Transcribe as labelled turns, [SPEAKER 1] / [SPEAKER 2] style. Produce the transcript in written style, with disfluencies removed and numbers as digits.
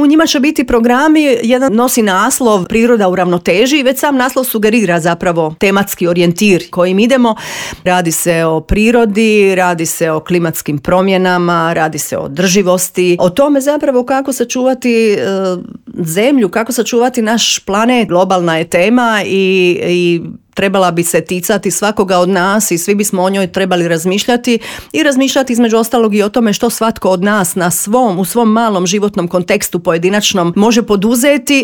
[SPEAKER 1] U njima će biti programi, jedan nosi naslov Priroda u ravnoteži i već sam naslov sugerira zapravo tematski orijentir kojim idemo. Radi se o prirodi, radi se o klimatskim promjenama, radi se o održivosti, o tome zapravo kako sačuvati zemlju, kako sačuvati naš planet. Globalna je tema i trebala bi se ticati svakoga od nas i svi bismo o njoj trebali razmišljati i razmišljati između ostalog i o tome što svatko od nas u svom malom životnom kontekstu pojedinačnom može poduzeti,